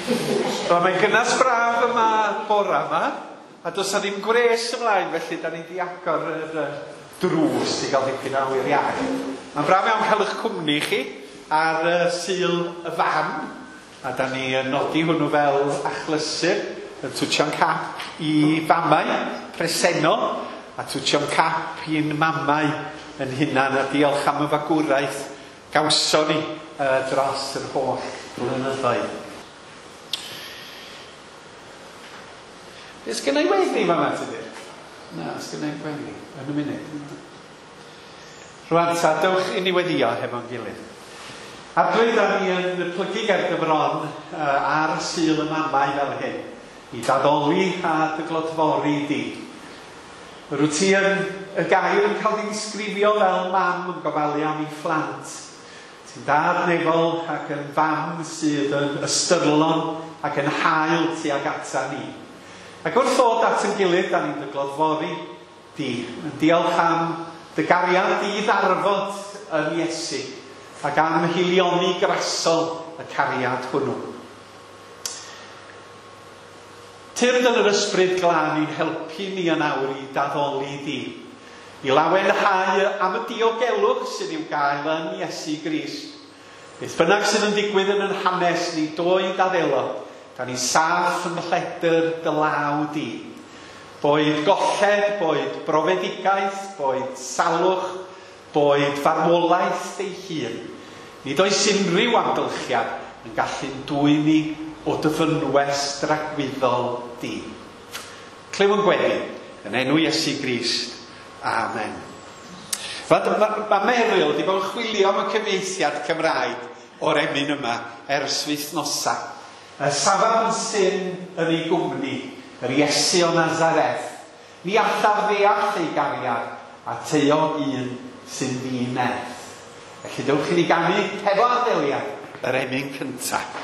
Wel, mae'n gynnas braf yma bora yma, a does 'na ddim gwres ymlaen, felly da ni 'di agor yr drws i gael dipyn o awyr iach. Mae'n braf iawn cael eich cwmni chi ar Sul y Fam, a da ni yn nodi hwnnw fel achlysur, yn twtio'n cap i famau presennol, a twtio'n cap i'n mamau yn hunan, a diolch am y fagwraeth gawson ni dros yr holl blynyddoedd. Be sgynna i weddi fama, Tudur? Na, sgynna i'm gweddi yn y munud. Rwan ta, dewch i ni weddio hefo'n gilydd. Arglwydd, da ni yn plygu ger dy fron ar Sul y Mamau fel hyn, i d'addoli a dy glodfori di. Yr wyt ti yn y gair yn cael dy ddisgrifio fel mam yn gofalu am ei phlant. Ti'n dad nefol ac yn fam sydd yn ystyrlon ac yn hael tuag ata ni. Ac wrth ddod at yn gilydd, da ni'n dy glodfori di, yn diolch am dy gariad di ddarfod yn Iesu, ac am hilioni grasol y cariad hwnnw. Tyrd yn yr ysbryd glân i'n helpu ni yn awr i d'addoli di, i lawenhau am y diogelwch sydd i'w gael yn Iesu Grist. Beth bynnag sydd yn digwydd yn yn hanes ni, doed a ddelo, da ni saff yn lledr dy law di. Boed golled, boed brofedigaeth, boed salwch, boed farwolaeth ei hun. Nid oes unrhyw amgylchiad yn gallu'n dwyn ni o dy fynwes dragwyddol di. Clyw yn gweddi, yn enw Iesu Grist. Amen. Mae Meryl wedi bod yn chwilio am y cyfieithiad Cymraeg o'r emyn yma ers wythnosa. Y safaf yn syn yn ei gwmni, yr Iesu o Nazareth. Ni allaf ddeall ei gariad, a taeog un sy'n ddi-nerth. Felly dewch i ni ganu hefo arddeliad yr emyn cyntaf.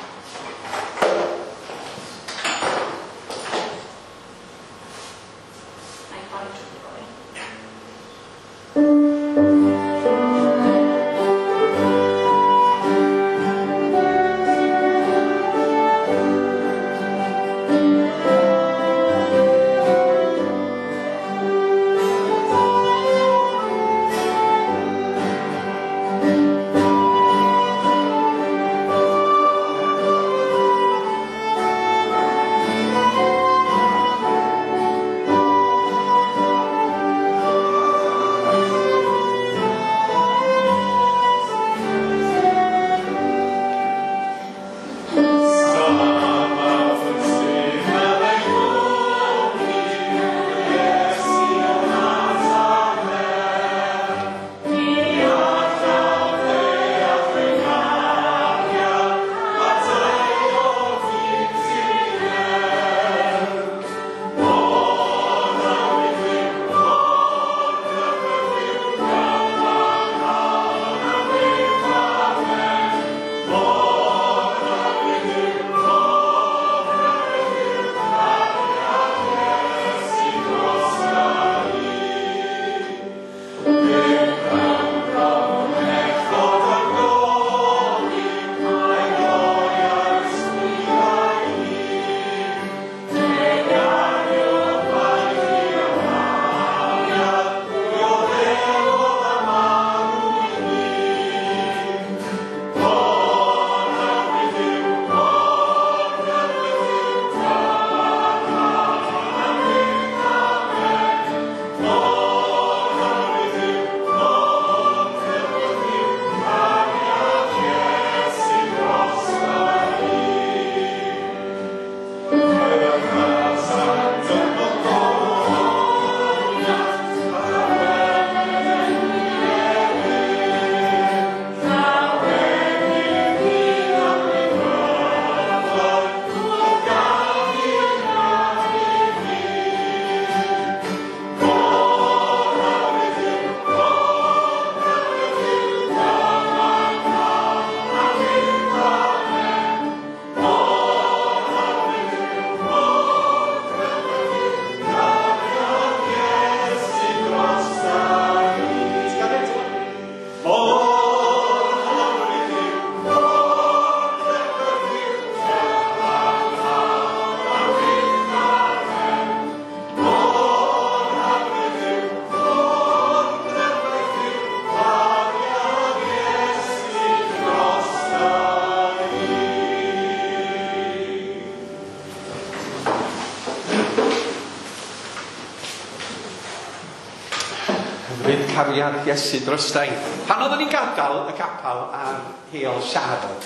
cariad Iesu drosta i. Pan oeddwn ni'n gadael y capel ar Heol Siarl,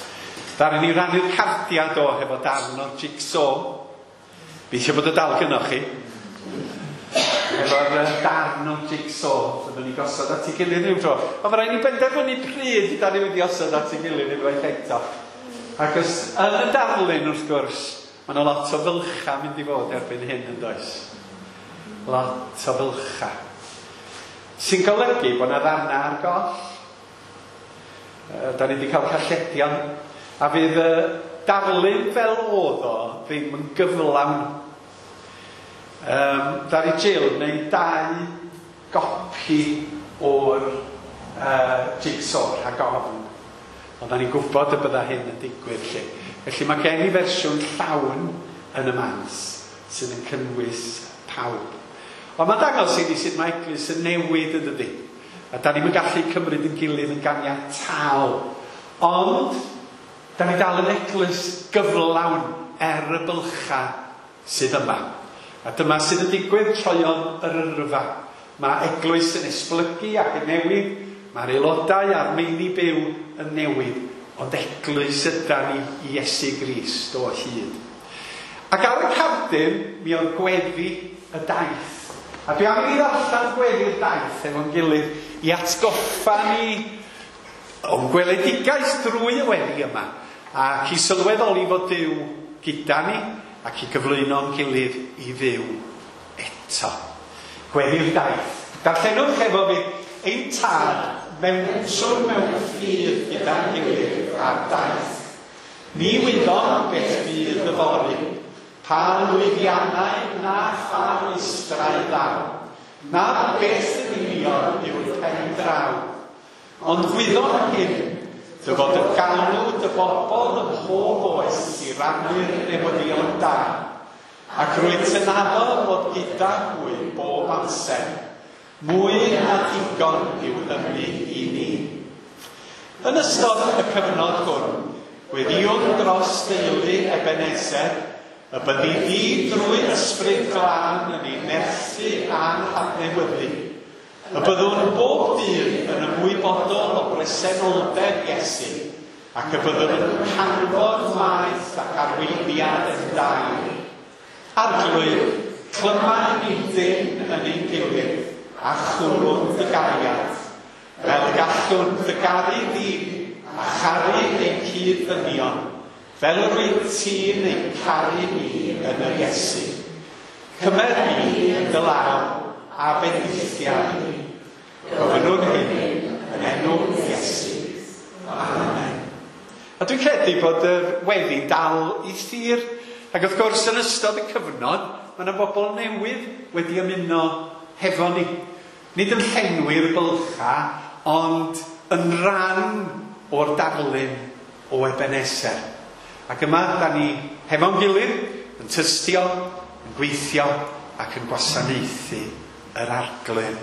ddaru ni rannu'r cardia do hefo darn o'r jigsaw. Gobeithio bod y dal gynnoch chi. Efo'r darn o'r jigsaw fyddwn ni gosod at ei gilydd rhyw dro. Ond mae rhaid ni benderfynu pryd da ni wedi osod at ei gilydd unwaith eto. Ac os yn y darlun wrth gwrs, mae yna lot o fylcha mynd i fod erbyn hyn yn does. Lot o fylcha. Sy'n golygu bod yna ddarna ar goll. Da ni wedi cael calledion. A fydd y darlun fel oedd o ddim yn gyflawn. Ddaru Jill wneud 2 gopi o'r jigsaw rhag ofn. Ond da ni'n gwybod y bydda hyn yn digwydd lle. Felly mae gen i fersiwn llawn yn y mans sydd yn cynnwys pawb. Ond mae'n dangos i ni sut mae eglwys yn newid yn dydi. A da ni'n gallu cymryd yn gilydd yn ganiataol. Ond da ni dal yn eglwys gyflawn er y bylcha sydd yma. A dyma sydd yn digwydd troeon yr yrfa. Mae eglwys yn esblygu ac yn newid. Mae'r aelodau a'r meini byw yn newid. Ond eglwys yda ni i Iesu Grist o hyd. Ac ar y cardyn, mi oedd gweddi y daith. A dwi am i ni ddarllen gweddi'r daith efo'n gilydd i atgoffa ni o'n gweledigaeth drwy y weddi yma. Ac i sylweddoli fod Duw gyda ni ac i gyflwyno'n gilydd i fyw eto. Gweddi'r daith. Darllenwch efo fi ein tad mewn swn mewn ffydd gyda'n gilydd ar daith. Ni wyddom beth fydd yfory, pa lwyddiannau na pha rwystrau ddaw, na beth yn union yw'r pen draw. Ond gwyddom hyn, dy fod y galw dy bobl ym mhob oes i rannu'r newyddion da, ac rwyt yn addo fod gyda hwy bob amser. Mwy na digon yw hynny i ni. Yn ystod y cyfnod hwn, gweddïwn dros deulu Ebenezer, y byddi di drwy ysbryd glân yn ei nerthu a'n hadnewyddu. Y byddwn bob dydd yn ymwybodol o bresenoldeb Iesu, ac y byddwn yn canfod maeth ac arweiniad yn dair. Arglwydd, clyma ni dyn yn ein gilydd, a chwrwn dy gariad, fel gallwn dy garu di a charu ein cyd-ddynion, fel yr wyt ti'n ein caru ni yn yr Iesu. Cymer ni dy law a bendithia ni. Gofynnwn hyn yn enw Iesu. Amen. A dwi'n credu bod y weddi dal i thir, ac wrth gwrs yn ystod y cyfnod, mae yna bobl newydd wedi ymuno hefo ni. Nid yn llenwi'r bylcha, ond yn rhan o'r darlun o Ebenezer. Ac yma, da ni hefo'n gilydd, yn tystio, yn gweithio ac yn gwasanaethu yr Arglwydd.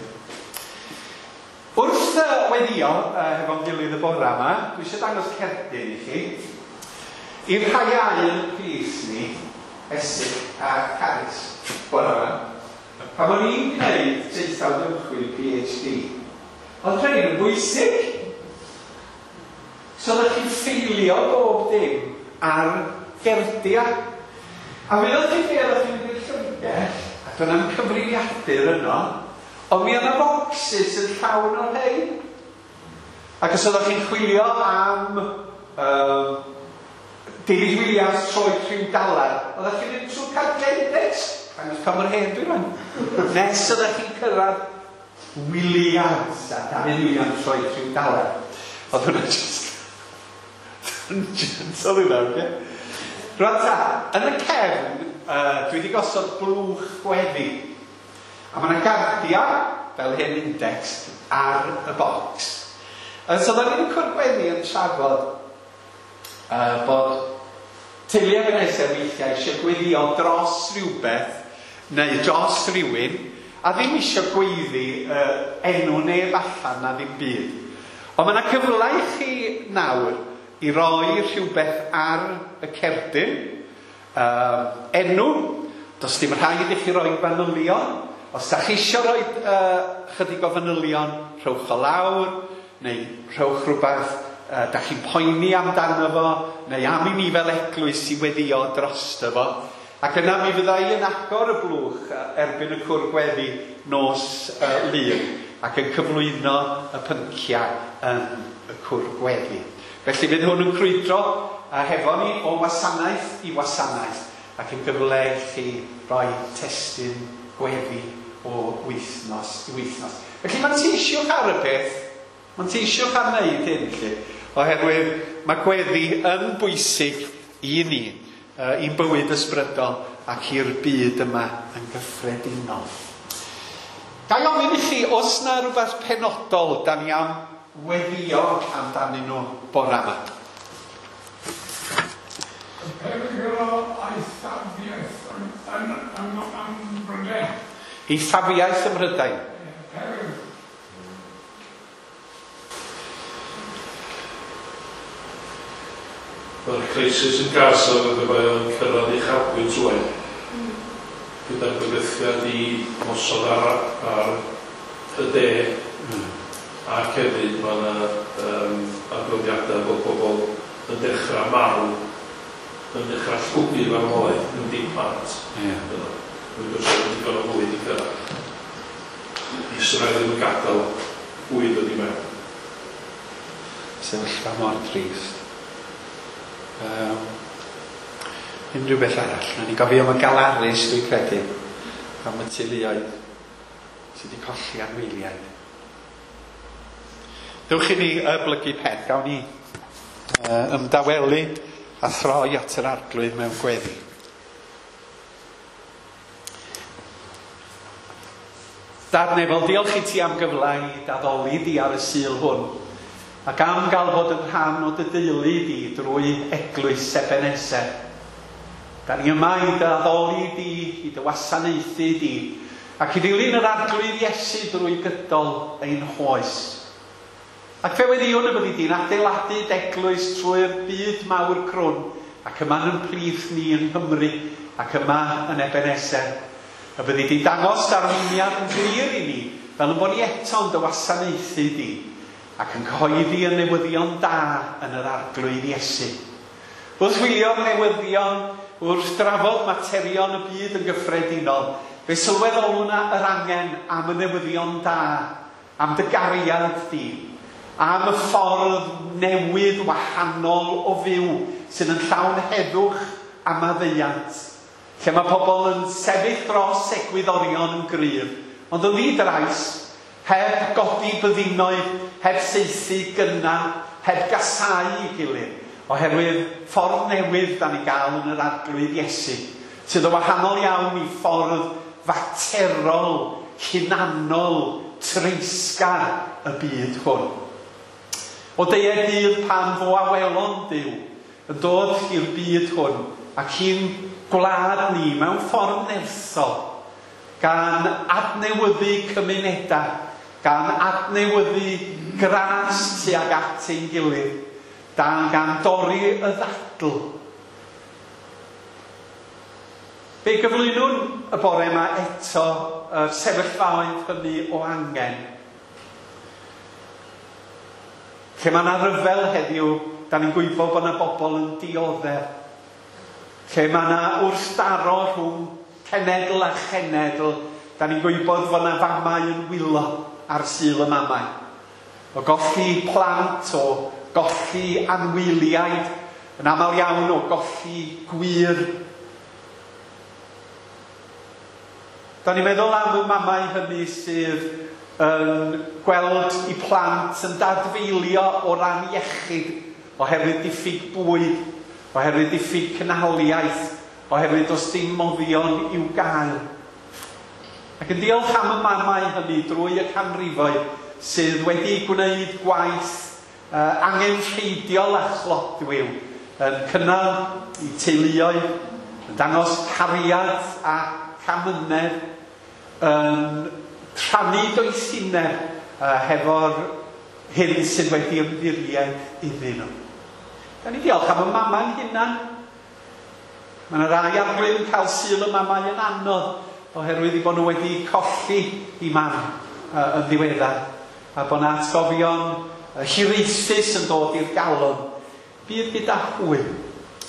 Wrth weddio hefo'n gilydd y bore yma, dwi eisiau dangos cerdyn i chi. I'r rhai iau yn plith ni, Esig a Carys, bore yma. Pan o'n i'n gwneud traethawd ymchwil PhD, oedd rhain yn bwysig. So oeddech chi'n ffeilio bob dim ar gerdia. A mi oedd chi'n be oeddech chi'n mynd i'r llyfrgell, a doedd na'm cyfrifiadur yno, ond mi oedd 'na bocsys yn llawn o'r rhain. Ac os oeddech chi'n chwilio am David Williams troed rhyw dalar, oeddech chi'n mynd trwy'r cardiau index, dangos pa mor hen dwi rwan. Nes oeddech chi'n cyrraedd Williams, a David Williams troed rhyw dalar. Oedd hwnna just gentle hwnna, oce? Rwan ta, yn y cefn, dwi wedi gosod blwch gweddi. A mae yna gardia, fel hyn index, ar y bocs. So oedden ni'n cwrdd gweddi yn trafod bod teulu Ebenezer weithiau eisiau gweddio dros rhywbeth neu dros rhywun, a ddim eisiau gweiddi enw neb allan na ddim byd. Ond mae yna cyfle i chi nawr i roi rhywbeth ar y cerdyn, enw, does dim rhaid i chi roi fanylion, Os da chi eisiau rhoi chydig o fanylion, rhowch o lawr, neu rhowch rhywbeth da chi'n poeni amdano fo, neu am i ni fel eglwys i weddio drosto fo. Ac yna mi fydda i yn agor y blwch erbyn y cwr gweddi nos Lun ac yn cyflwyno y pynciau yn y cwr gweddi. Felly fydd hwn yn crwydro hefo ni o wasanaeth i wasanaeth ac yn gyfle i chi roi testun gweddi o wythnos i wythnos. Felly manteisiwch ar y peth, manteisiwch ar wneud hyn, lle, oherwydd mae gweddi yn bwysig i ni, i'n bywyd ysbrydol ac i'r byd yma yn gyffredinol. Ga i ofyn i chi, os na rhywbeth penodol da ni am weddio amdanyn nhw bore yma? Y perygl o eithafiaeth yn Mhrydain. Eithafiaeth ym Mhrydain? Ie, perygl. Mae'r crisis yn Gaza fel pe bai o'n cyrraedd uchafbwynt rŵan, gyda'r bygythiad i ymosod ar ar y de, ac hefyd mae yna yym adroddiadau bod pobl yn dechrau marw, yn dechrau llwgu farwolaeth, yn dim plant. Ie. Dwi'n gwybod bod digon o fwyd i gyrraedd. Israel ddim yn gadael bwyd dod i mewn. Sefyllfa mor drist. Um, unrhyw beth arall. Nawn ni gofio am y galarus, dwi'n credu, am y teuluoedd sydd wedi colli anwyliaid. Dewch i ni blygu pen, gawn ni ymdawelu a throi at yr Arglwydd mewn gweddi. Dad Nefol, diolch i ti am gyfle i d'addoli di ar y Sul hwn, ac am gael bod yn rhan o dy deulu di drwy eglwys Ebenezer. Da ni yma i dy addoli di, i dy wasanaethu di, ac i ddilyn yr Arglwydd Iesu drwy gydol ein hoes. Ac fe weddïwn y byddi di'n adeiladu d'eglwys trwy'r byd mawr crwn, ac yma yn plith ni yng Nghymru, ac yma yn Ebenezer. Y byddi di'n dangos d'arweiniad yn glir i ni, fel yn bod ni eto'n dy wasanaethu di, ac yn cyhoeddi y newyddion da yn yr Arglwydd Iesu. Wrth wylio'r newyddion, wrth drafod materion y byd yn gyffredinol, fe sylweddolwn yr angen am y newyddion da, am dy gariad di, am y ffordd newydd wahanol o fyw sydd yn llawn heddwch a maddeuant, lle mae pobl yn sefyll dros egwyddorion yn gryf, ond yn ddi-drais, heb godi byddinoedd, heb saethu gynna, heb gasáu ei gilydd, oherwydd ffordd newydd da ni gael yn yr Arglwydd Iesu, sydd yn wahanol iawn i ffordd faterol, hunanol, treisgar y byd hwn. O deued dydd pan fo awelon Duw yn dod i'r byd hwn ac i'n gwlad ni mewn ffordd nerthol, gan adnewyddu cymunedau, gan adnewyddu gras tuag at ein gilydd, dan gan dorri y ddadl. Fe gyflwynwn y bore yma eto y sefyllfaoedd hynny o angen. Lle mae yna ryfel heddiw, da ni'n gwybod bod yna bobl yn dioddef. Lle mae yna wrthdaro rhwng cenedl a chenedl, da ni'n gwybod fod yna famau yn wylo ar Sul y Mamau. O golli plant, o golli anwyliaid, yn aml iawn o golli gwir. Da ni'n meddwl am y mamau hynny sydd yn gweld i plant yn dadfeilio o ran iechyd oherwydd diffyg bwyd, oherwydd diffyg cynhaliaeth, oherwydd does dim moddion i'w gael. Ac yn diolch am y mamau hynny drwy y canrifoedd sydd wedi gwneud gwaith angenrheidiol a chlodwiw, yn cynnal i teuluoedd, yn dangos cariad a camynedd, yn rhannu doethineb hefo'r hyn sydd wedi ymddiried iddyn nhw. Da ni diolch am y mamau'n hunan. Mae yna rai Arglwydd yn cael Sul y Mamau yn anodd. oherwydd i bod nhw wedi colli i mam yn ddiweddar, a bod 'na atgofion hiraethus yn dod i'r galon. Bydd gyda hwy.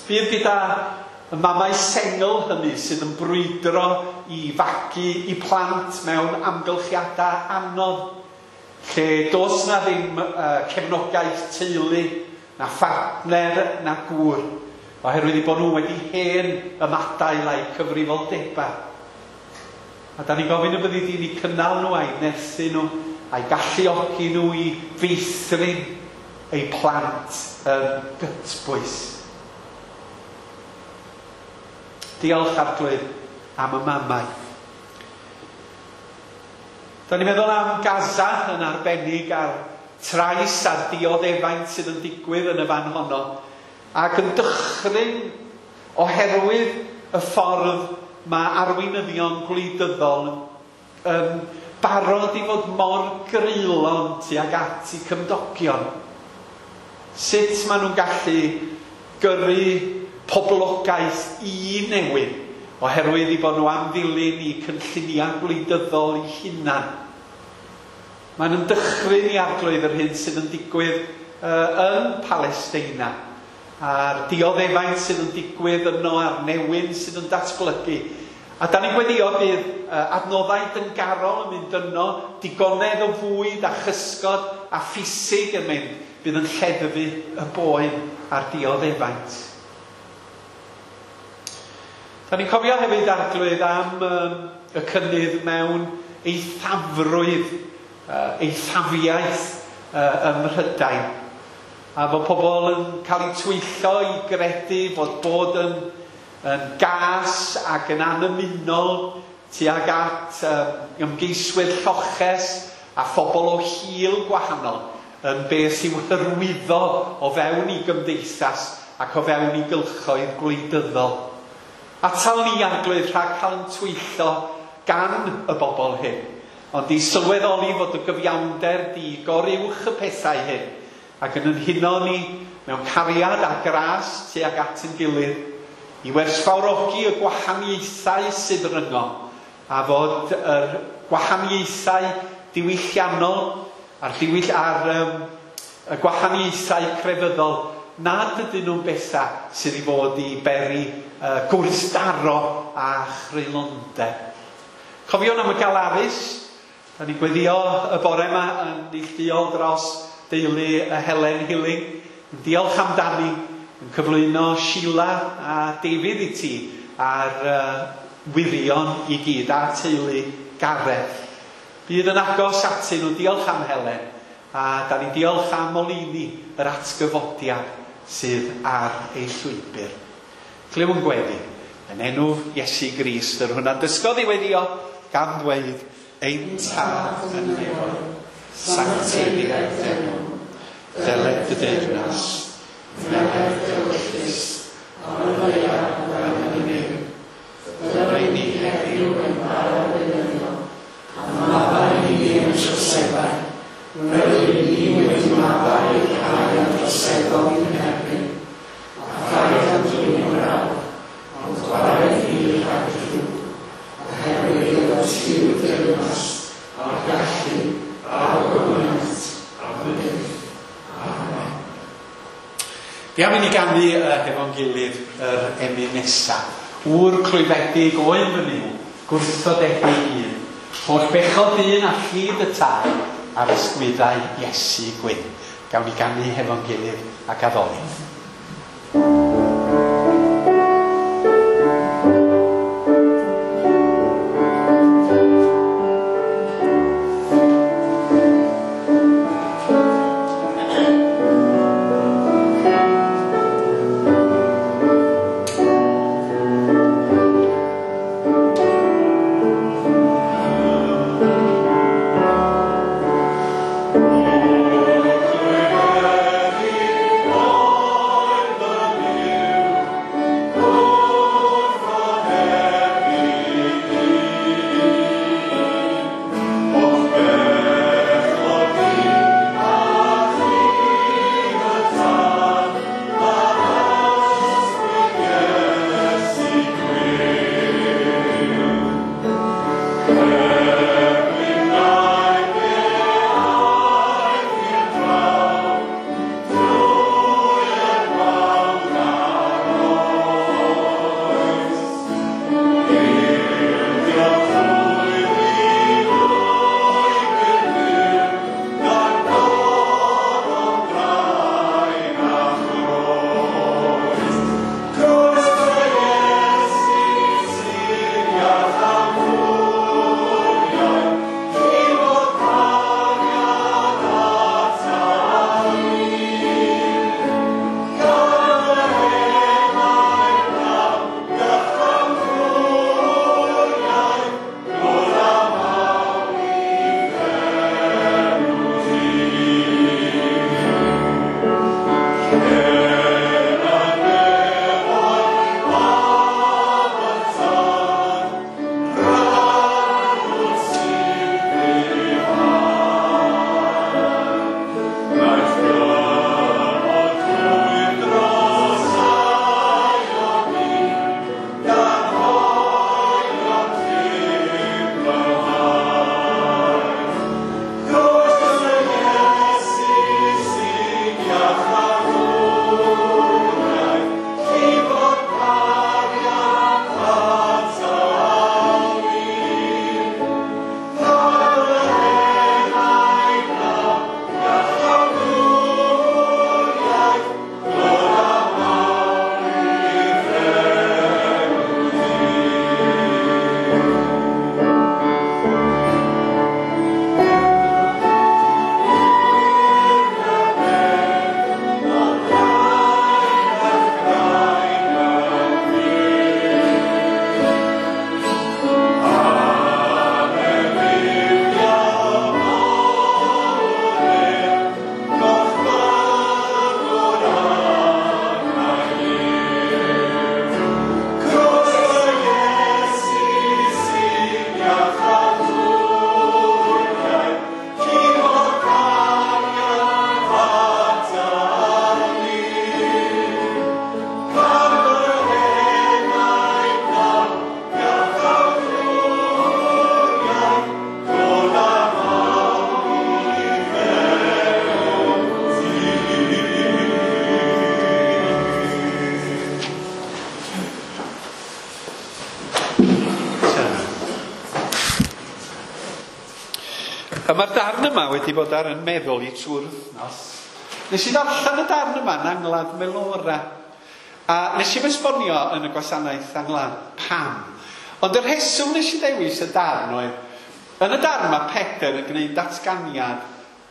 Bydd gyda y mamau sengl hynny sydd yn brwydro i fagu i plant mewn amgylchiadau anodd, lle does na ddim cefnogaeth teulu, na phartner, na gŵr, oherwydd i bod nhw wedi hen ymadael a'u cyfrifoldebau. A da ni'n gofyn y byddi di'n eu cynnal nhw a'i nerthu nhw, a'i galluogi nhw i feithrin eu plant yn gytbwys. Diolch Arglwydd am y mamau. Da ni'n meddwl am Gaza yn arbennig a'r trais a'r dioddefaint sydd yn digwydd yn y fan honno, ac yn dychryn oherwydd y ffordd mae arweinyddion gwleidyddol yn barod i fod mor greulon tuag at eu cymdogion. Sut maen nhw'n gallu gyrru poblogaeth i newid oherwydd i bod nhw am ddilyn i cynlluniau gwleidyddol eu hunan. Mae'n yn dychryn i Arglwydd yr hyn sydd yn digwydd yn Palesteina, a'r dioddefaint sydd yn digwydd yno, a'r newyn sydd yn datblygu. A da ni'n gweddio bydd adnoddau dyngarol yn mynd yno, digonedd o fwyd a chysgod a ffisig yn mynd, bydd yn lleddfu y boen a'r dioddefaint. Da ni'n cofio hefyd Arglwydd am y cynnydd mewn eithafrwydd, eithafiaeth ym Mhrydain. A fod pobl yn cael eu twyllo i gredu fod bod yn gas ac yn anymunol tuag at ymgeiswyr lloches a phobl o hil gwahanol yn beth i'w hyrwyddo o fewn i gymdeithas ac o fewn i gylchoedd gwleidyddol. Atal ni Arglwydd rhag cael yn twyllo gan y bobl hyn, ond i sylweddoli fod y gyfiawnder di goruwch y pethau hyn, ac yn huno ni mewn cariad a gras tuag at ein gilydd, i werthfawrogi y gwahaniaethau sydd rhyngom, a fod yr gwahaniaethau diwylliannol a'r y gwahaniaethau crefyddol nad ydyn nhw'n bethau sydd i fod i beri gwrthdaro a chreulondeb. Cofiwn am y galarus. Da ni'n gweddio y bore yma yn neilltuol dros deulu y Helen Hilling. Yn diolch amdani, yn cyflwyno Sheila a David i ti a'r wirion i gyd a teulu Gareth. Bydd yn agos atyn nhw, diolch am Helen, a da ni'n diolch am oleuni yr atgyfodiad sydd ar ei llwybr. Clywn gweddi yn enw Iesu Grist, yr hwnna'n dysgodd i weddio gan ddweud, Ein Tad yn y nefoedd, sancteiddied d'enw, deled dy deyrnas, wneled dy ewyllys, ar y ddaear fel yn y nef. Rhoi ni heddiw ein bara beunyddiol, a maddau i ni ein troseddau, fel y ni wedi maddau i'r rhai a droseddodd i'n erbyn, a phaid â'n dwyn i brawf, ond gwared ni rhag y drwg, oherwydd iddo ti yw deyrnas, a'r gallu, a'r gymaint, am byth. Amen. Fi am i ni ganu hefo'n gilydd yr emyn nesaf. Ŵr clwyfedig oedd fy Nuw, gwrthodedig un, holl bechod dyn a llid y tân ar ysgwyddau Iesu gwyn. Gawn ni ganu hefo'n gilydd ac addoli. Clwyfedig oedd fy A mae'r darn yma wedi bod ar yn meddwl i trwy'r wythnos. Nes i ddarllen y darn yma yn angladd Melora. A nes i esbonio yn y gwasanaeth angladd pam. Ond y rheswm nes i ddewis y darn oedd, yn y darn mae Pedr yn gwneud datganiad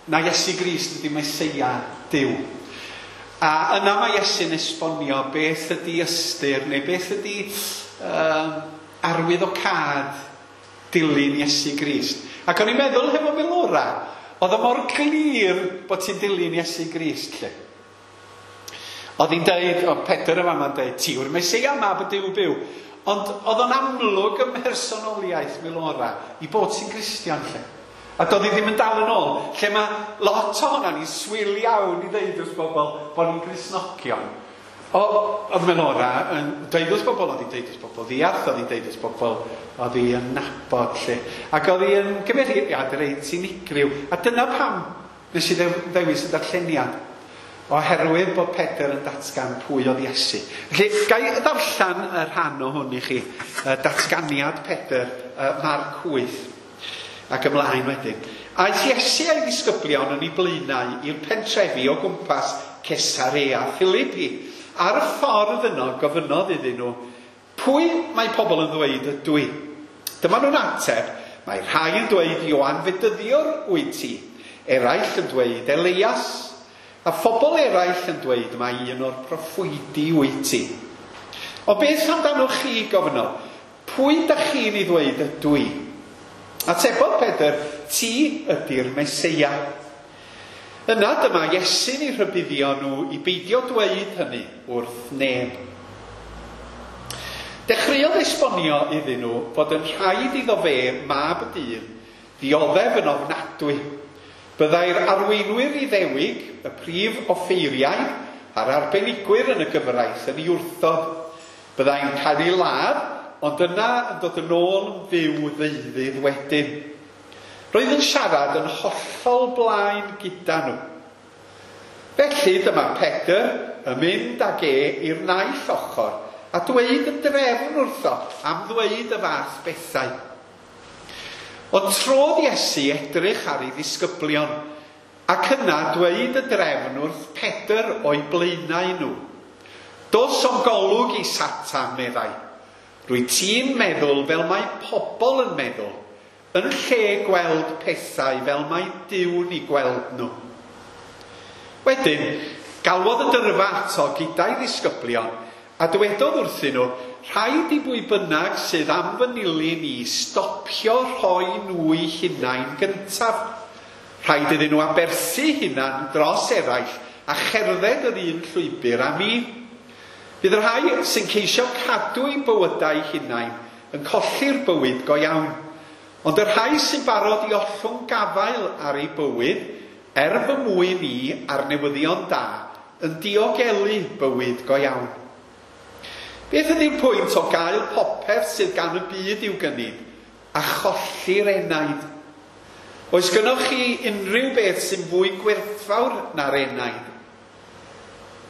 na Iesu Grist ydy Meseia Duw. A yna mae Iesu'n esbonio beth ydy ystyr neu beth ydy arwyddocâd dilyn Iesu Grist. Ac o'n i'n meddwl hefo Melora, oedd o mor clir bod ti'n dilyn Iesu Grist, lle. Oedd hi'n deud, o Pedr yma ma'n deud, ti yw'r Meseia, mab y Duw byw. Ond oedd o'n amlwg ym mhersonoliaeth Melora i bod ti'n Gristion, lle. A doedd hi ddim yn dal yn ôl, lle mae lot ohono ni'n swil iawn i ddeud wrth bobl bod ni'n Gristnogion. Oedd Melora yn dweud wrth bobl, oedd hi'n deud wrth bobl ddiarth, oedd hi'n deud wrth bobl oedd hi yn nabod, lle. Ac oedd hi yn gymeriad reit unigryw. A dyna pam nes i ddewis y darlleniad, oherwydd bod Pedr yn datgan pwy oedd Iesu. Felly, ga i ddarllen y rhan o hwn i chi, datganiad Pedr, Marc 8, ac ymlaen wedyn. Aeth Iesu a'i ddisgyblion yn ei blaenau i'r pentrefi o gwmpas Cesarea Philippi. Ar y ffordd yno gofynnodd iddyn nhw, pwy mae pobl yn ddweud ydw i? Dyma nhw'n ateb, mae rhai yn dweud Ioan Fedyddiwr wyt ti, eraill yn dweud Elias, a phobl eraill yn dweud mae un o'r proffwydi wyt ti. O beth amdanoch chi, gofynnodd, pwy dach chi'n ei ddweud ydw i? Atebodd Pedr, ti ydy'r Meseia. Yna dyma Iesu'n eu rhybuddio nhw i beidio dweud hynny wrth neb. Dechreuodd esbonio iddyn nhw fod yn rhaid iddo fe, mab y dyn, ddioddef yn ofnadwy. Byddai'r arweinwyr Iddewig, y prif offeiriaid a'r arbenigwyr yn y gyfraith yn ei wrthod. Byddai'n cael ei ladd, ond yna yn dod yn ôl yn fyw ddeuddydd wedyn. Roedd yn siarad yn hollol blaen gyda nhw. Felly dyma Pedr yn mynd ag e i'r naill ochr a dweud y drefn wrtho am ddweud y fath bethau. Ond trodd Iesu edrych ar ei ddisgyblion ac yna dweud y drefn wrth Pedr o'i blaenau nhw. Dos o'm golwg i Satan, meddai. Rwy ti'n meddwl fel mae pobl yn meddwl, yn lle gweld pethau fel mae Duw'n eu gweld nhw. Wedyn, galwodd y dyrfa ato gyda'i ddisgyblion a dywedodd wrthyn nhw, rhaid i bwy bynnag sydd am fy nilyn i stopio rhoi nhw eu hunain gyntaf. Rhaid iddyn nhw aberthu hunan dros eraill a cherdded yr un llwybr â mi. Bydd y rhai sy'n ceisio cadw eu bywydau hunain yn colli'r bywyd go iawn. Ond y rhai sy'n barod i ollwng gafael ar eu bywyd, er fy mwyn i a'r newyddion da, yn diogelu bywyd go iawn. Beth ydy'r pwynt o gael popeth sydd gan y byd i'w gynnig a cholli'r enaid? Oes gynnoch chi unrhyw beth sy'n fwy gwerthfawr na'r enaid?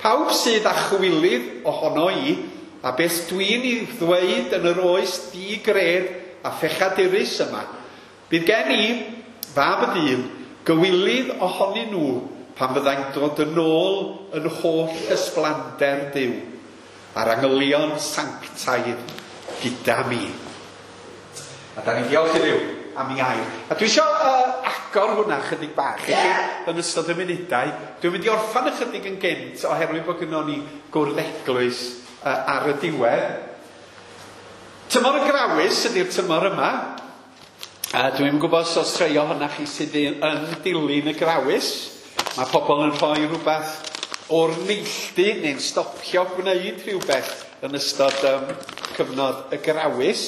Pawb sydd â chwilydd ohono i, a beth dwi'n ei ddweud yn yr oes digred a phechadurus yma, bydd gen i, fab y dyn, gywilydd ohonyn nhw pan fyddai'n dod yn ôl yn holl ysblander Duw a'r angylion sanctaidd gyda mi. A da ni'n diolch i Dduw am ei air. A dwi eisiau agor hwnna chydig bach i chi yn ystod y munudau. Dwi'n mynd i orffan ychydig yn gynt oherwydd bod gynnon ni gwrdd eglwys ar y diwedd. Tymor y Grawys ydy'r tymor yma. Dwi'n gwybod os oes rhai ohonoch chi sydd yn dilyn y Grawys. Mae pobl yn rhoi rhywbeth o'r neilltu neu'n stopio gwneud rhywbeth yn ystod cyfnod y Grawys.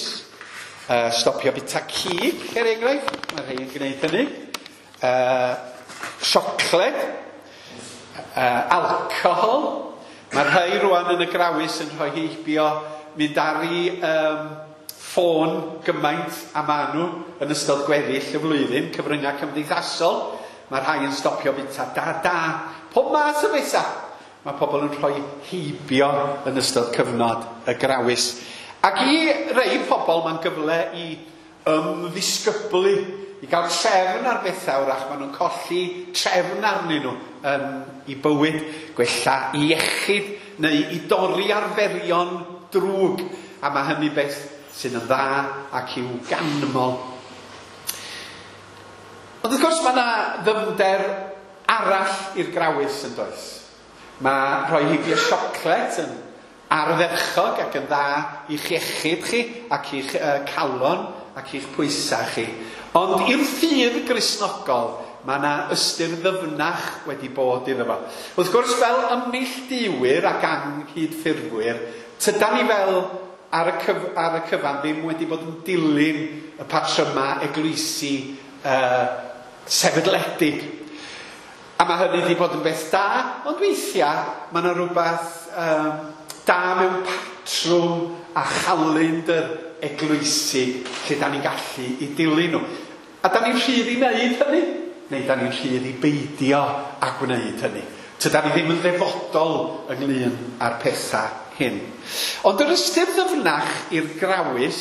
Stopio bita cig, er enghraifft. Mae rhai yn gwneud hynny. Siocled, alcohol. Mae rhai rwan yn y Grawys yn rhoi heibio mynd ar ei ffôn gymaint a maen nhw yn ystod gweddill y flwyddyn, cyfryngau cymdeithasol. Mae rhai yn stopio bita da. Pob math o bethau. Mae pobl yn rhoi heibio yn ystod cyfnod y Grawys. Ac i rei pobl mae'n gyfle i ymddisgyblu, i gael trefn ar bethau wrach, maen nhw'n colli trefn arnyn nhw yn i bywyd, gwella i iechyd neu i dorri arferion drwg. A mae hynny beth sydd yn dda ac i'w ganmol. Ond wrth gwrs mae yna ddyfnder arall i'r grawys yn does. Mae rhoi heibio siocled yn ardderchog ac yn dda i'ch iechyd chi ac i'ch calon ac i'ch pwysau chi. Ond i'r ffydd Gristnogol mae yna ystyr ddyfnach wedi bod iddo fo. Wrth gwrs fel ymneilltuwyr ac anghydffurfwyr, tydan ni fel ar y cyfan ddim wedi bod yn dilyn y patryma eglwysi sefydledig. A mae hynny wedi bod yn beth da, ond weithiau mae yna rhywbeth da mewn patrwm a chalendr eglwysi lle da ni'n gallu i dilyn nhw. A da ni'n rhydd i wneud hynny, neu da ni'n rhydd i beidio a gwneud hynny. Tydan ni ddim yn ddefodol ynglyn â'r pethau hyn. Ond yr ystyr ddyfnach i'r grawys,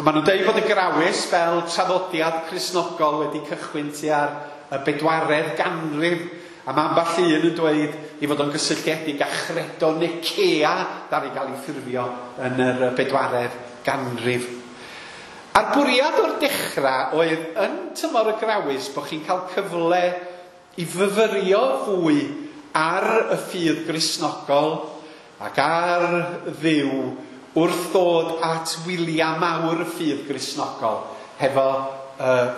maen nhw'n dweud bod y grawys fel traddodiad Cristnogol wedi cychwyn tua'r y 4edd ganrif, a mae ambell un yn dweud ei fod o'n gysylltiedig â chredo Nicea ddaru gael ei ffurfio yn yr 4edd ganrif. A'r bwriad o'r dechrau oedd yn tymor y grawys bod chi'n cael cyfle i fyfyrio fwy ar y ffydd Gristnogol ac ar Dduw wrth ddod at wyliau mawr y ffydd Gristnogol hefo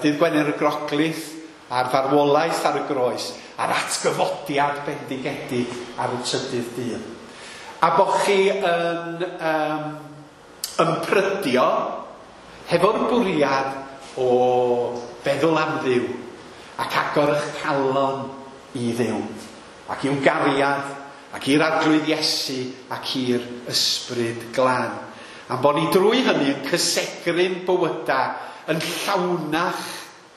Dydd Gwener y Groglith a'r farwolaeth ar y groes a'r atgyfodiad bendigedig ar y trydydd dydd. A bod chi yn ymprydio hefo'r bwriad o feddwl am Dduw ac agor eich calon i Dduw ac i'w gariad ac i'r Arglwydd Iesu ac i'r Ysbryd Glân. Am bod ni drwy hynny yn cysegru'n bywydau yn llawnach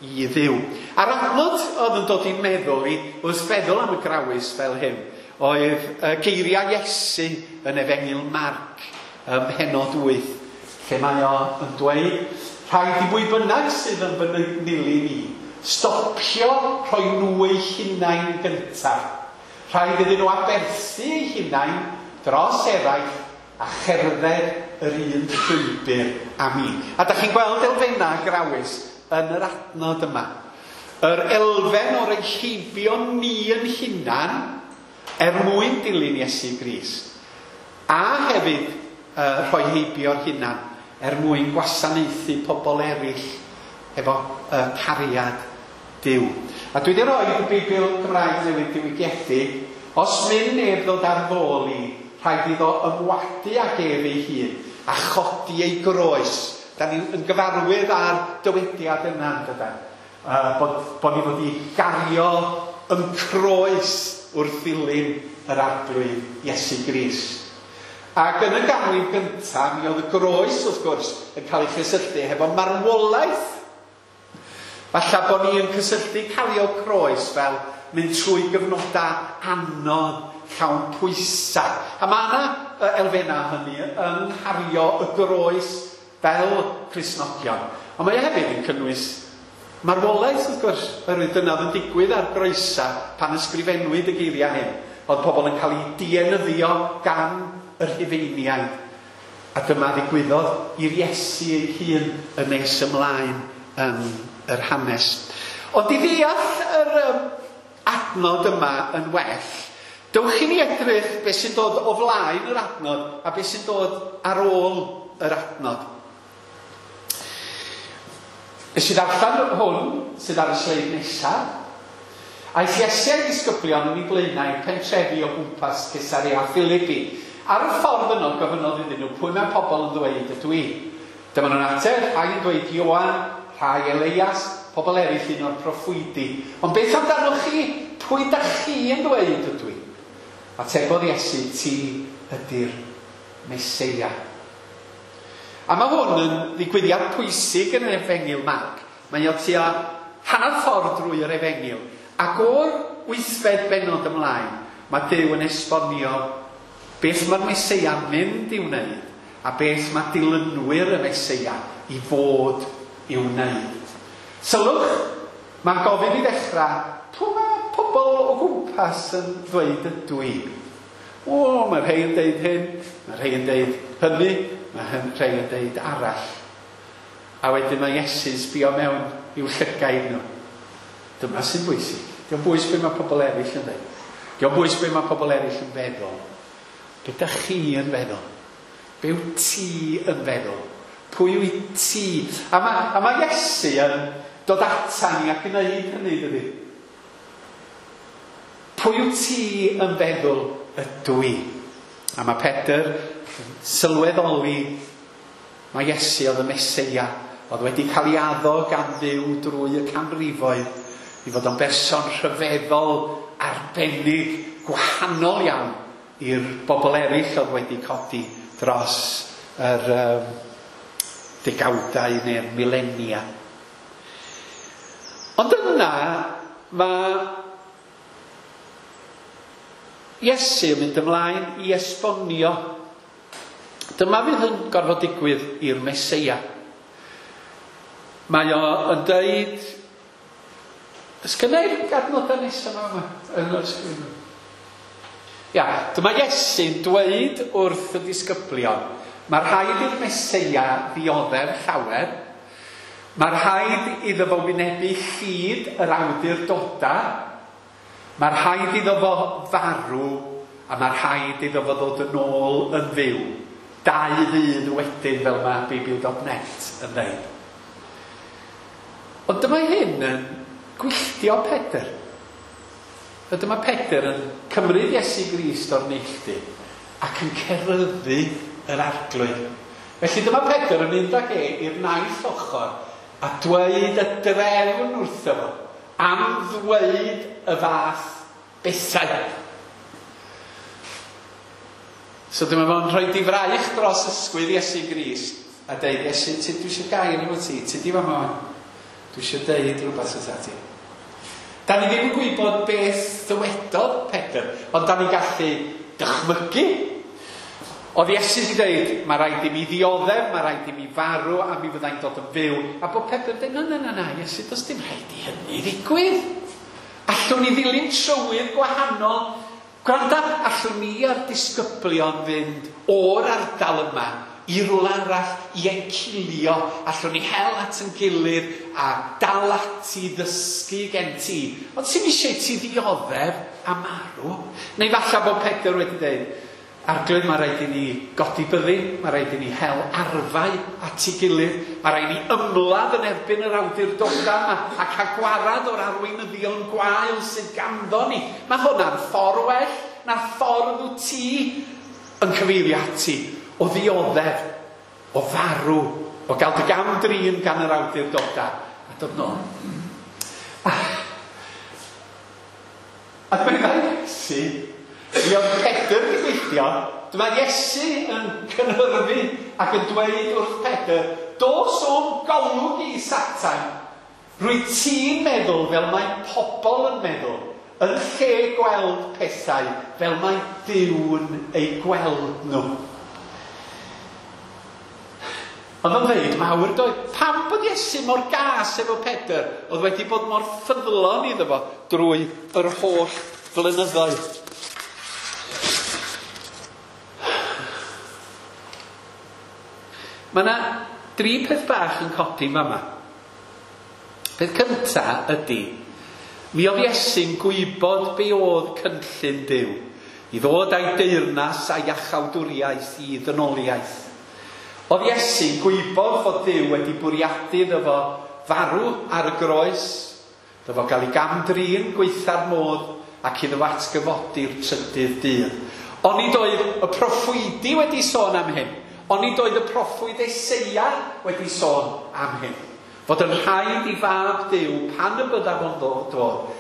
i Dduw. A'r adnod oedd yn dod i'n meddwl i wrth feddwl am y grawys fel hyn oedd geiriau Iesu yn Efengyl Marc ym mhennod 8, lle mae o yn dweud, rhaid i bwy bynnag sydd yn fy nilyn i stopio rhoi nhw eu hunain gyntaf. Rhaid iddyn nhw aberthu eu hunain dros eraill a cherdded yr un llwybr â mi. A da chi'n gweld elfennau grawys yn yr adnod yma. Yr elfen o'r heibio ni yn hunan er mwyn dilyn Iesu Grist. A hefyd rhoi heibio'r hunan er mwyn gwasanaethu pobl eraill efo cariad Duw. A dwi wedi rhoi y Beibl Gymraeg Newydd diwygiedig, os mynd neb ddod ar ddôl i, rhaid iddo ymwadu ag ef ei hun a chodi ei groes. Da ni'n gyfarwydd â'r dywediad yna, dydan? Bod ni fod i gario yn croes wrth ddilyn yr Arglwydd Iesu Grist. Ac yn y ganrif gyntaf, mi oedd y groes, wrth gwrs, yn cael ei chysylltu hefo marwolaeth. Falle bod ni yn cysylltu cario croes fel mynd trwy gyfnodau anodd, llawn pwysau. A mae yna elfennau hynny yng nghario y groes fel Cristnogion. Ond mae hefyd yn cynnwys marwolaeth, wrth gwrs, oherwydd dyna oedd yn digwydd ar groesau pan ysgrifennwyd y geiriau hyn. Oedd pobl yn cael eu dienyddio gan y Rhufeiniaid. A dyma ddigwyddodd i'r Iesu ei hun yn nes ymlaen yn yr hanes. Ond i ddeall yr adnod yma yn well, dewch i ni edrych beth sy'n dod o flaen yr adnod a beth sy'n dod ar ôl yr adnod. Nes i ddarllen hwn sydd ar y sleid nesaf. Aeth Iesu a'i ddisgyblion yn ei blaenau i'r pentrefi o gwmpas Caesarea Philippi. Ar y ffordd yno gofynnodd iddyn nhw pwy mae pobl yn ddweud ydw i. Dyma nhw'n ateb, rhai yn dweud Ioan, rhai Elias, pobl eraill un o'r proffwydi. Ond beth amdanoch chi? Pwy da chi yn dweud ydw i? Atebodd Iesu, ti ydy'r Meseia. A mae hwn yn ddigwyddiad pwysig yn yr Efengyl Marc. Mae o tua hanner ffordd drwy yr Efengyl. Ac o'r 8fed bennod ymlaen, mae Duw yn esbonio beth mae'r Meseia mynd i'w wneud a beth mae dilynwyr y Meseia i fod i'w wneud. Sylwch, mae'n gofyn i ddechrau, pwy mae pobl o gwmpas yn ddweud ydw i? O, mae rhai yn deud hyn, mae rhai yn deud hynny, mae rhai yn deud arall. A wedyn mae Iesu'n sbio mewn i'w llygaid nhw. Dyma sy'n bwysig. Dio'm bwys be mae pobl eraill yn dweud. Dio'm bwys be mae pobl eraill yn feddwl. Be da chi yn feddwl? Be wyt ti yn feddwl? Pwy wyt ti? A mae Iesu yn dod ata ni ac yn gwneud hynny, dydy? Pwy wyt ti yn feddwl ydw i? A mae Pedr yn sylweddoli mae Iesu oedd y Meseia, oedd wedi cael ei addo gan Dduw drwy y canrifoedd i fod o'n berson rhyfeddol, arbennig, gwahanol iawn i'r bobl eraill oedd wedi codi dros yr degawdau neu'r milenia. Ond yna mae Iesu yn mynd ymlaen i esbonio. Dyma fydd yn gorfod digwydd i'r Meseia. Mae o yn dweud... Ysgynna i'r adnodau nesaf yma yn yr sgrin? Ia, dyma Iesu'n dweud wrth y disgyblion, mae rhaid i'r Meseia ddioddef llawer, mae rhaid iddo fo wynebu llid yr awdurdodau, mae rhaid iddo fo farw, a mae rhaid iddo fo ddod yn ôl yn fyw. 2 ddydd wedyn, fel mae Beibl.net yn dweud. Ond dyma hyn yn gwylltio Pedr. A dyma Pedr yn cymryd Iesu Grist o'r neilltu ac yn ceryddu yr Arglwydd. Felly dyma Pedr yn mynd ag e i'r naill ochr a dweud y drefn wrtho fo am ddweud y fath bethau. So dyma fo'n rhoi difraich dros ysgwydd Iesu Grist a deud, Iesu, dwi eisiau gair efo ti, ti di fama wan. Dwi eisiau deud rhywbeth wrtha ti. Da ni ddim yn gwybod beth ddywedodd Pedr, ond da ni'n gallu dychmygu. Oedd Iesu wedi dweud, mae rhaid i mi ddioddef, mae rhaid i mi farw, a mi fyddai'n dod yn fyw. A bod Pedr yn dweud, na, na, na, Iesu, does dim rhaid i hynny ddigwydd. Allwn ni ddilyn trywydd gwahanol. Gwranda, allwn ni a'r disgyblion fynd o'r ardal yma i rywle arall i encilio, allwn ni hel at yn gilydd a dal ati ddysgu gen ti. Ond sy'n eisiau ti ddioddef a marw? Neu falle bod Pedr wedi dweud, Arglwydd, mae rhaid i ni godi byddin, mae rhaid i ni hel arfau at ei gilydd, mae rhaid i ni ymladd yn erbyn yr awdurdodau yma a cael gwarad o'r arweinyddion gwael sydd ganddo ni. Mae hwnna'n ffordd well na ffordd wyt ti yn cyfeirio ati o ddioddef, o farw, o gael dy gam-drin gan yr awdurdodau a dod nôl. A dyma Iesu, mi oedd Pedr wedi gweithio, dyma Iesu yn cynhyrfu ac yn dweud wrth Pedr, dos o'm golwg i, Satan, rwy ti'n meddwl fel mae pobl yn meddwl, yn lle gweld pethau fel mae Duw'n eu gweld nhw. Oedd o'n dweud mawr doedd, pam bod Iesu mor gas efo Pedr, oedd wedi bod mor ffyddlon iddo fo drwy yr holl flynyddoedd. Mae yna 3 peth bach yn codi fama. Peth cynta ydy, mi oedd Iesu'n gwybod be oedd cynllun Duw, i ddod â'i deyrnas a'i iachawdwriaeth i ddynoliaeth. Oedd Iesu'n gwybod fod Duw wedi bwriadu iddo fo farw ar y groes, iddo fo gael ei gam-drin gweitha'r modd ac iddo fo atgyfodi'r trydydd dydd. Onid oedd y proffwydi wedi sôn am hyn? Onid oedd y proffwyd Eseia wedi sôn am hyn? Fod yn rhaid i fab Duw, pan y byddaf o'n ddod,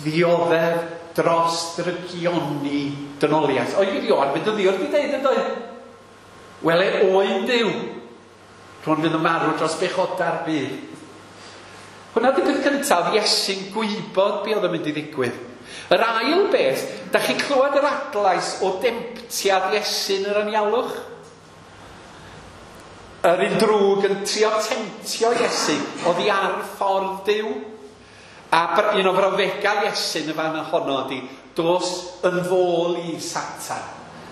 ddioddef dros drygioni dynoliaeth. Oedd Ioan mynd yn ddiwrth i ddeud yn dweud, wele oen Duw, rhwng fydd yn marw dros bechodau'r byd. Hwna di peth cyntaf, Iesu'n gwybod be oedd yn mynd i ddigwydd. Yr ail beth, da chi'n clywed yr adlais o demtiad Iesu'n yr anialwch? Yr un drwg yn trio temtio Iesu oddi ar ffordd Duw. A un o frawddegau Iesu yn y fan honno ydy, dos yn fôl i Satan.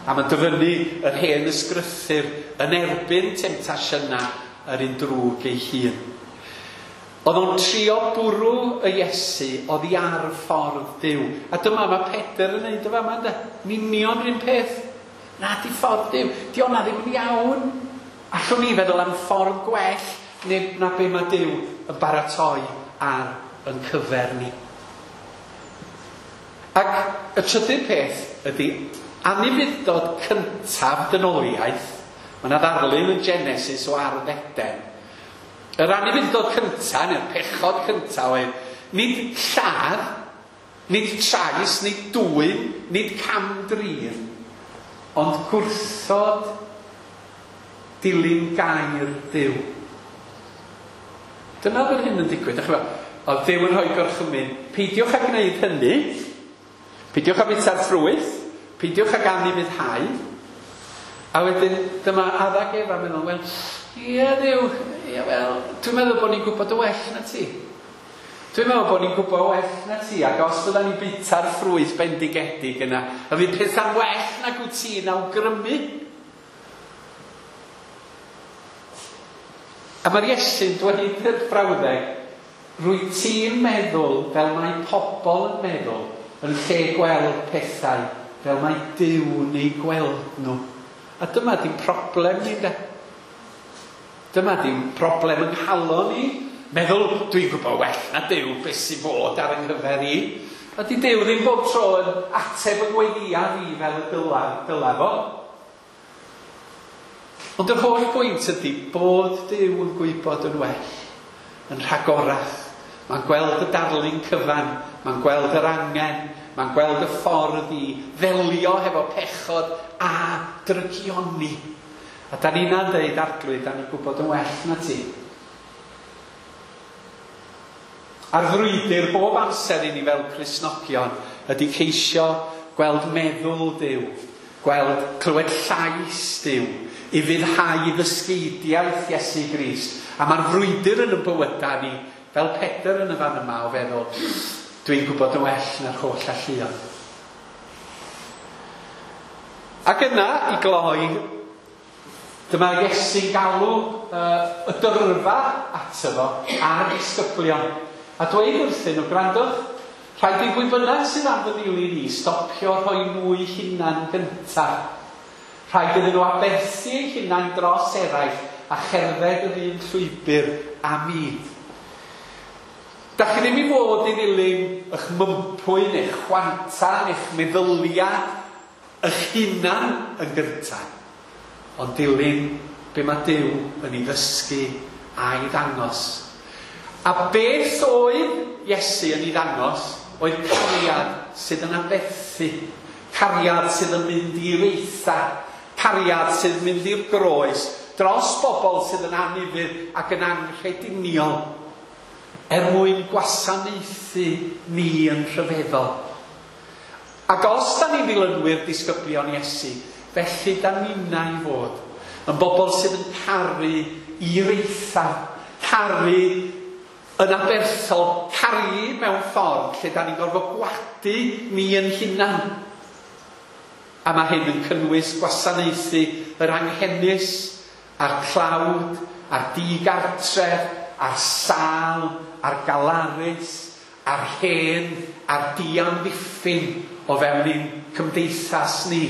A mae'n dyfynnu yr hen ysgrythur yn erbyn temtasiynau yr un drwg ei hun. Oedd o'n trio bwrw y Iesu oddi ar ffordd Duw. A dyma mae Pedr yn neud y fama, ynde? Yn union yr un peth. Na, di ffordd Duw. Di o'na ddim yn iawn. Allwn ni feddwl am ffordd gwell neu na be mae Duw yn baratoi ar yn cyfer ni. Ac y trydydd peth ydy anufudd-dod cyntaf dynoliaeth. Mae yna ddarlun yn Genesis o ardd Eden. Yr anufudd-dod cyntaf, neu'r pechod cyntaf oedd nid lladd, nid trais, nid dwyn, nid cam-drin, ond gwrthod dilyn gair Duw. Dyna oedd hyn yn digwydd. Dach chi'n gwbod, oedd Duw yn rhoi gorchymyn, peidiwch â gwneud hynny, peidiwch â bwyta'r ffrwyth, peidiwch ag anufuddhau. A wedyn dyma Adda ac Efa meddwl, wel, ie Dduw, ie wel, dwi'n meddwl bod ni'n gwybod y well na ti. Dwi'n meddwl bod ni'n gwybod well na ti, ac os fydda ni'n bwyta'r ffrwyth bendigedig yna, a fydd pethau'n well nag wyt ti'n awgrymu. A mae'r Iesu'n dweud yr brawddeg, rwy ti'n meddwl fel mae pobl yn meddwl, yn lle gweld pethau fel mae Duw'n eu gweld nhw. A dyma di'n problem ni, de. Dyma di'n problem yng nghalon ni. Meddwl, dwi'n gwybod well na Duw beth sy'n fod ar yng nghyfer i. A di Duw ddim bob tro yn ateb y gweddïa fi fel y dyla fo. Ond yr holl bwynt ydy bod Duw yn gwybod yn well, yn rhagorach. Mae'n gweld y darlun cyfan, mae'n gweld yr angen, mae'n gweld y ffordd i ddelio hefo pechod a drygioni. A da ni'n deud, Arglwydd, da ni'n gwybod yn well na ti. A'r frwydr bob amser i ni fel Cristnogion ydy ceisio gweld meddwl Duw, gweld clywed llais Duw, i fuddhau i ddysgeidiaeth Iesu Grist. A mae'r frwydr yn y bywydau ni, fel Pedr yn y fan yma o feddwl, dwi'n gwybod yn well na'r holl alluon. Ac yna, i gloi, dyma Iesu'n galw y dyrfa ato fo a'r disgyblion. A dweud wrthyn nhw, gwrandwch, rhaid i bwy bynnag sydd am fy nilyn i stopio rhoi nhw hunan gyntaf. Rhaid iddyn nhw aberthu eu hunain dros eraill a cherdded yr un llwybr a mi. Dach chi ddim i fod i ddilyn eich mympwy neu'ch chwanta neu'ch meddyliau eich hunan yn gyntaf, ond dilyn be mae Duw yn ei ddysgu a'i ddangos. A beth oedd Iesu yn ei ddangos oedd cariad sydd yn aberthu, cariad sydd yn mynd i'r eitha, cariad sydd yn mynd i'r groes, dros bobl sydd yn anufudd ac yn anghrediniol, er mwyn gwasanaethu ni yn rhyfeddol. Ac os da ni'n ddilynwyr disgyblion Iesu, felly da ninnau i fod yn bobl sydd yn caru i'r eitha, caru yn aberthol, caru mewn ffordd lle da ni'n gorfod gwadu ni yn hunan. A mae hyn yn cynnwys gwasanaethu yr anghenus, a'r tlawd, a'r digartref, a'r sâl, a'r galarus, a'r hen, a'r diamddiffyn o fewn ein cymdeithas ni.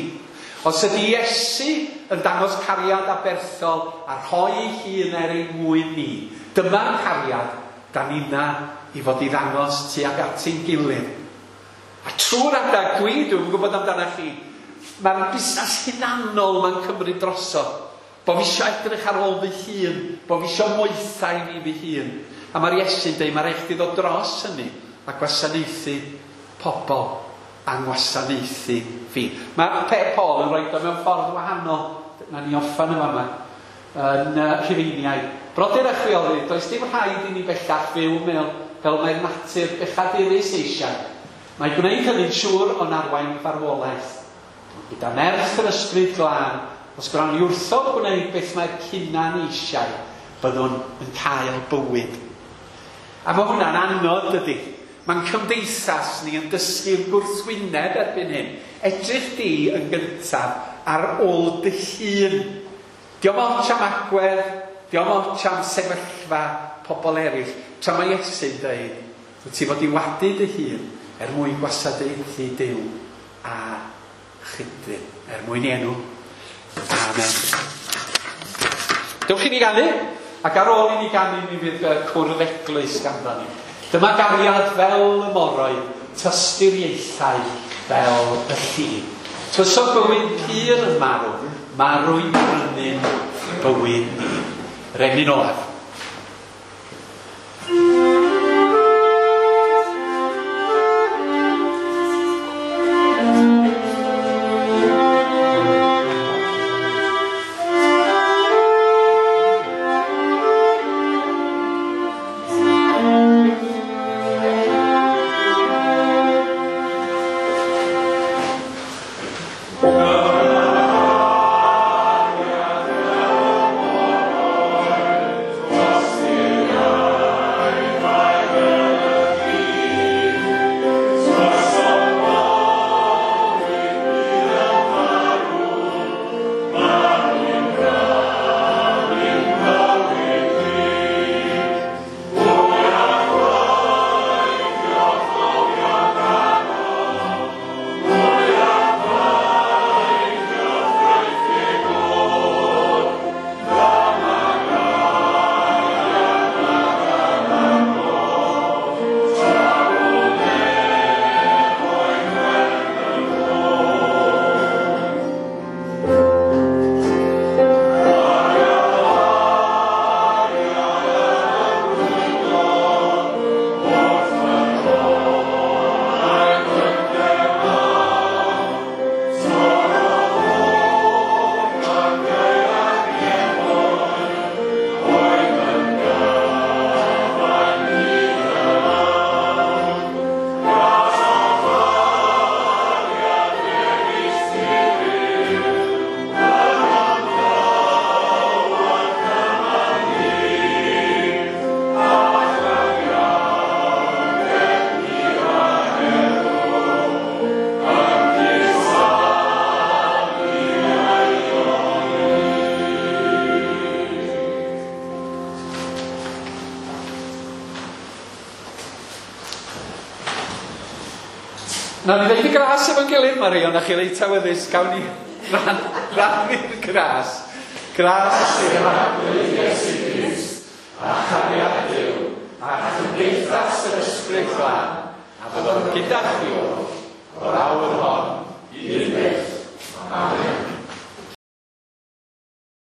Os ydy Iesu yn dangos cariad aberthol a rhoi ei hun er ein mwyn ni, dyma'r cariad da ni'na i fod i ddangos tuag at ein gilydd. A trwy'r adag, dwi'm yn gwybod amdano chi, mae'r busnes hunanol ma'n cymryd drosodd. Bo fi isio edrych ar ôl fy hun, bo fi isio moethau i fi fy hun. A mae'r Iesu'n dweud, mae rhaid chdi ddod dros hynny a gwasanaethu pobl a ngwasanaethu fi. Mae Paul yn rhoi o mewn ffordd wahanol, na ni orffen yn fama, yn Rhufeiniaid. Brodyr a chwiorydd, does dim rhaid i ni bellach fyw mewn fel mae'r natur bechadurus eisiau. Mae gwneud hynny'n siŵr o'n arwain farwolaeth. Gyda nerth yr ysbryd glân, Os gwnawn ni wrthod gwneud beth mae'r hunan eisiau, byddwn yn cael bywyd. A mae hwnna'n anodd, dydy. Mae'n cymdeithas ni yn dysgu'r gwrthwyneb erbyn hyn. Edrych di yn gyntaf ar ôl dy hun. Dio'm ots am agwedd, dio'm ots am sefyllfa pobl eraill. Tra mae Iesu'n dweud, wyt ti fod i wadu dy hun er mwyn gwasanaethu Duw a chydddyn, er mwyn ei enw. Amen. Dewch i ni ganu, ac ar ôl i ni ganu mi fydd cwrdd eglwys ganddo ni. Dyma gariad fel y moroedd, tosturiaethau fel y llun. Tywysog bywyd pur yn marw, marw'n brynu'n bywyd ni. Yr emyn olaf. Nawn ni ddeud y gras efo'n gilydd, Mari, ond chi reit awyddus, gawn ni rannu'r gras. Gras sydd Arglwydd Iesu Grist, a chariad Duw, a chymdeithas yr Ysbryd Glân, a fyddwn gyda chi o'r awr hon i'r byd.